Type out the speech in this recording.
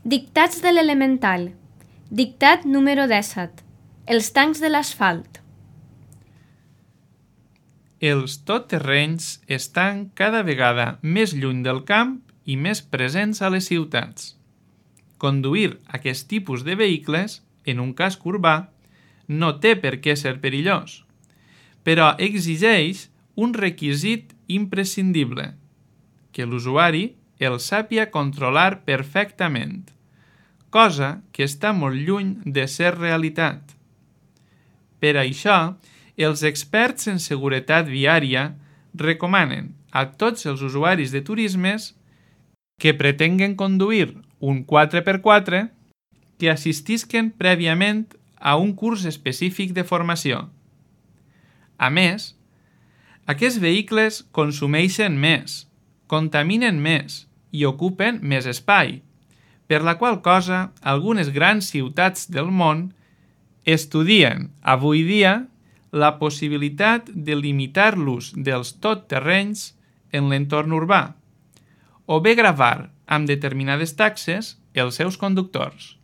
Dictats de l'elemental. Dictat número 17. Els tancs de l'asfalt. Els totterrenys estan cada vegada més lluny del camp i més presents a les ciutats. Conduir aquest tipus de vehicles, en un casc urbà, no té per què ser perillós, però exigeix un requisit imprescindible, que l'usuari el sàpia controlar perfectament, cosa que està molt lluny de ser realitat. Per això, els experts en seguretat viària recomanen a tots els usuaris de turismes que pretenguen conduir un 4x4 que assistisquen prèviament a un curs específic de formació. A més, aquests vehicles consumeixen més, contaminen més i ocupen més espai, per la qual cosa algunes grans ciutats del món estudien avui dia la possibilitat de limitar l'ús dels totterrenys en l'entorn urbà, o bé gravar amb determinades taxes els seus conductors.